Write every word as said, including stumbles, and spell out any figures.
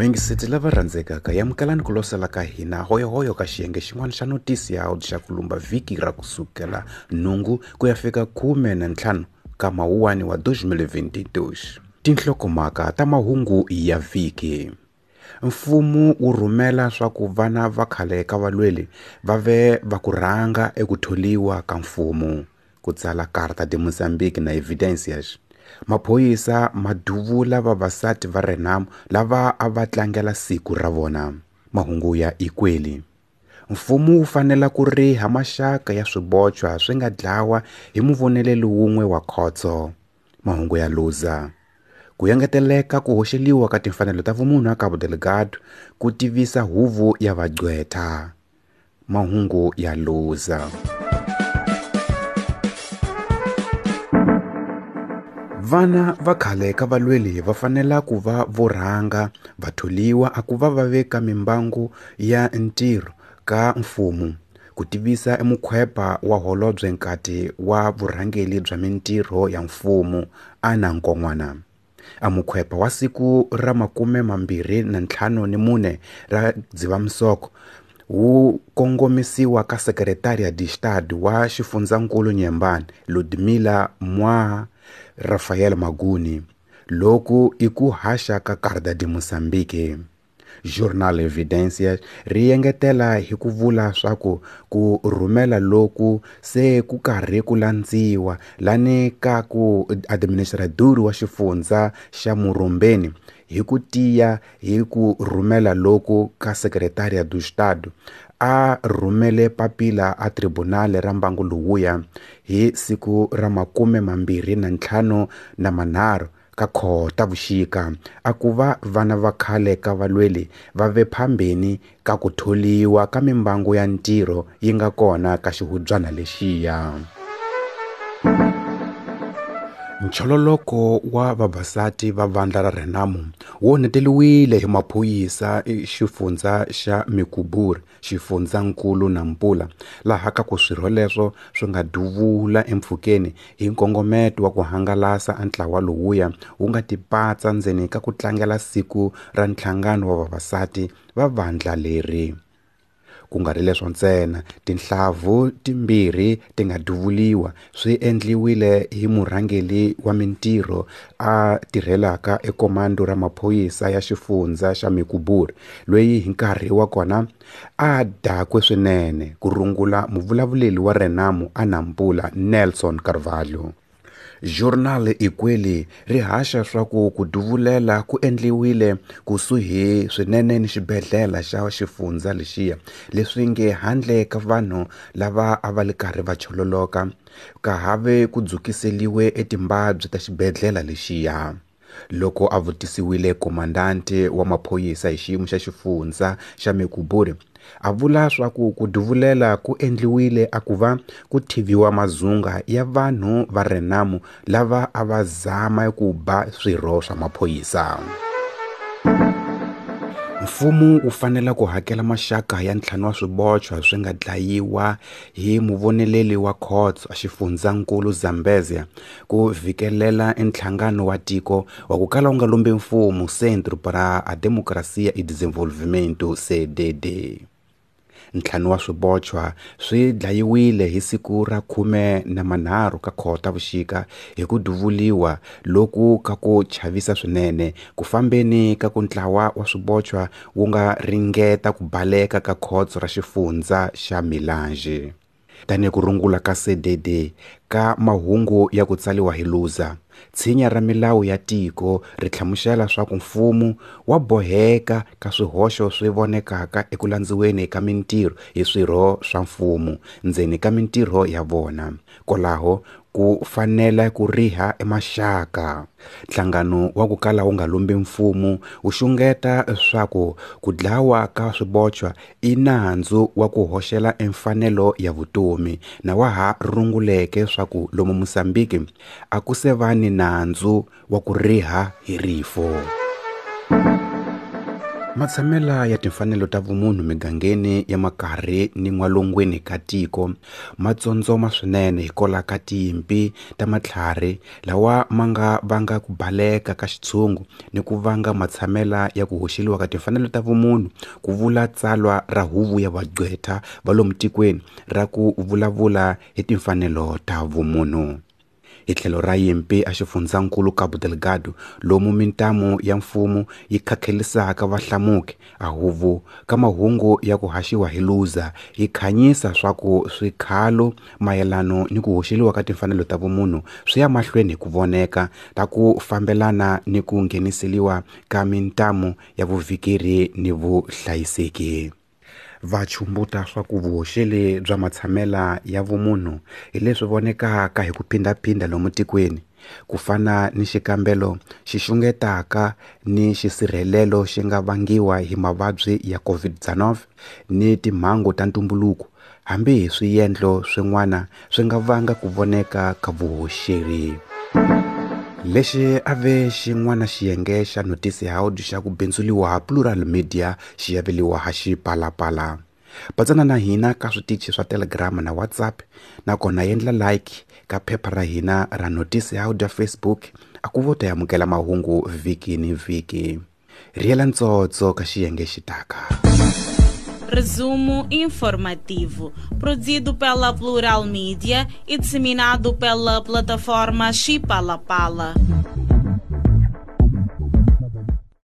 Vayingiseti lava rhandzekaka yamukelani ku losela ka hina hoyohoyo ka xiyenge xin'wana xa notisi ya xa ku lumba vhiki ra kusukela nhungu ku ya fika khume na ntlhanu ka mawuwani wa twenty twenty-two. Tinhlokomhaka ta mahungu ya vhiki. Mfumo wu rhumela swa ku vana va khale ka valweli va ve va ku rhanga eku tholiwa ka mfumo, ku tsala Carta de Moçambique na Evidências. Maphorisa ma duvula vavasati va Renamo lava a va tlangela siku ra vona. Mahungu ya Ikweli. Mfumo wu fanele ku riha maxaka ya swibochwa swi nga dlawa hi muvoneleli wun'we wa khotso. Mahungu ya Luza. Ku engeteleka ku hoxeliwa ka timfanelo ta vumunhu a Cabo Delgado ku tivisa huvo ya vagqwetha. Mahungu ya Luza. Vana va khale ka valweli va fanela ku va vo rhanga va tholiwa a ku va va veka mimbangu ya ntirho ka mfumo, ku tivisa emukhwepa wa holobye nkati wa vurhangeli bya mintirho ya mfumo Anna Nkon'wana. A mukhwepa wa siku ra makume mambirhi na ntlhanu ni mune ra Dzivamisoko wu kongomisiwa ka Secretaria de Estado wa xifundzankulu Nyembani Ludmila Mwa Rafael Maguni, loku i ku haxa ka Carta de Moçambique. Journal Evidências ri engetela hi ku vula swa ku ku rhumela loku se ku karhi ku landziwa lani ka ku administrador wa xifundza xa Murumbeni hi ku tiya hi ku rhumela loku ka Secretaria do Estado a rhumele papila a tribunal ra mbangu lowuya hi siku ra makume mambirhi na ntlhanu na manharhu ka Khotavuxika a ku va vana va khale ka valweli va ve phambeni ka ku tholiwa ka mimbangu ya ntirho yi nga kona ka xihubyana lexiya. Nchololoko wa vavasati va vandla ra Renamo wu onheteliwile hi maphorisa xifundza xa Mecuburi, xifundzankulu Nampula, laha ka ku swirho leswo swi nga duvula empfhukeni hi nkongometo wa ku hangalasa a ntlawa lowuya wu nga tipatsa ndzeni ka ku tlangela siku ra nhlangano wa vavasati va vandla leri. Ku nga ri leswo ntsena, tinhlavu timbirhi ti nga duvuliwa swi endliwile hi murhangeri wa mintirho a tirhelaka ekomando ra maphorisa ya xifundza xa Mecuburi, loyi hi nkarhi wa kona a dakwe swinene, ku rungula muvulavuleri wa Renamo a Nampula Nelson Carvalho. Journal Ikweli ri haxa swa ku ku duvulela ku endliwile kusuhi swinene ni xibedhlele xa xifundza lexiya, leswi nge handle ka vanhu lava a va li karhi va chololoka ka have ku dzukiseliwe etimbabyi ta xibedhlele lexiya. Loko a vutisiwile komandante wa maphorisa hi xiyimo xa xifundza xa Mecuburi, a vula swa ku ku duvulela ku endliwile a ku va ku thiviwa mazunga ya vanhu va Renamo lava a va zama ku ba swirho swa maphorisa. Mfumo wu fanele ku hakela maxaka ya ntlhanu wa swibochwa swi nga dlayiwa hi muvoneleli wa khotso a xifundzankulu Zambezia ku vhikelela nhlangano wa tiko wa ku kala wu nga lombi mfumo Centro para a Democracia e Desenvolvimento C D D. Ntlhanu wa swibochwa swi dlayiwile hi siku ra khume na manharhu ka Khotavuxika hi ku duvuliwa loku ka ku chavisa swinene ku fambeni ka ku ntlawa wa swibochwa wu nga ringeta ku baleka ka khotso ra xifundza xa Milange. Tanihi ku rungula ka C D D ka mahungu ya ku tsaliwa hi Luza, tshinya ra milawu ya tiko ri hlamusela swa ku mfumo wa boheka ka swihoxo swi vonekaka eku landziweni ka mintirho hi swirho swa mfumo ndzeni ka mintirho ya vona. Kwalaho ku fanele ku riha emaxaka. Nhlangano wa ku kala wu nga lombi mfumo wu xungeta swa ku ku dlawa ka swibochwa i nandzu wa ku hoxela emfanelo ya vutomi na wa ha runguleke swa ku lomu Mozambique a ku se va ni nandzu wa ku riha hi rifo. Matshamela ya timfanelo ta vumunhu migangeni ya makarhi ni n'walungwini ka tiko ma tsondzoma swinene hikwalaho ka tinyimpi ta matlhari lawa ma nga vanga ku baleka ka xitshungu ni ku vanga matshamela ya ku hoxeliwa ka timfanelo ta vumunhu, ku vula tsalwa ra huvo ya vagqwetha va lomu tikweni ra ku vulavula hi timfanelo ta vumunhu. Hi tlhelo ra yimpi a xifundzankulu Cabo Delgado lomu mintamu ya mfumo yi khakhelisaka vahlamuki, a huvo ka mahungu ya ku haxiwa hi Luza yi khanyisa swa ku swikhalo mayelano ni ku hoxeliwa ka timfanelo ta vumunhu swi ya mahlweni hi ku voneka ta ku fambelana ni ku ngheniseliwa ka mintamu ya vuvhikeri ni vuhlayiseki. Va chumbuta swa ku vuhoxeli bya matshamela ya vumunhu hi leswi vonekaka hi ku phindaphinda lomu tikweni, ku fana ni xikambelo xi xungetaka ni xisirhelelo xi nga vangiwa hi mavabyi ya COVID nineteen ni timhangu ta ntumbuluko, hambi hi swiendlo swin'wana swi nga vanga ku voneka ka vuhoxeri. Lexi a ve xin'wana xiyenge xa Noticiário xa ku bindzuliwa Plural Media xi aveliwa ha Xipalapala. Patsana na hina ka switichi swa Telegram na WhatsApp, nakona endla like ka phepha ra hina ra Noticiário Facebook a ku vo ta amukela mahungu vhiki ni vhiki. Riela ntsotso ka xiyenge xitaka. Resumo informativo, produzido pela Plural Media e disseminado pela plataforma Xipalapala.